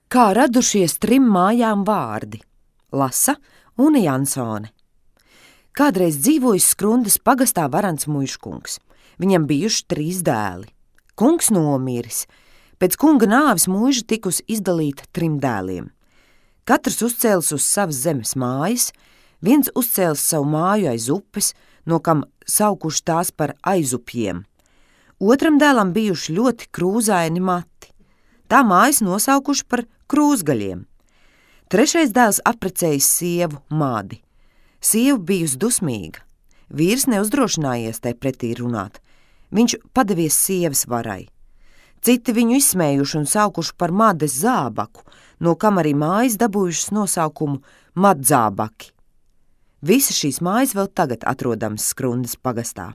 Kā radušies 3 mājām vārdi – lasa Une Jansone. Kādreiz dzīvojis Skrundas pagastā varants muižkungs. Viņam bijuši 3 dēli. Kungs nomiris. Pēc kunga nāves muiža tikusi izdalīta 3 dēliem. Katrs uzcēlis uz savas zemes mājas, viens uzcēlis savu māju aiz upes, no kam saukuši tās par aizupjiem. Otram dēlam bijuši ļoti krūzaini mati. Tā mājas nosaukuši par krūzgaļiem. Trešais dēls apprecējis sievu Madi. Sieva bijusi dusmīga. Vīrs neuzdrošinājies tai pretī runāt. Viņš padevies sievas varai. Citi viņu izsmējuši un saukuši par Mades zābaku, no kam arī mājas dabūjušas nosaukumu Madzābaki. Visas šīs mājas vēl tagad atrodamas Skrundas pagastā.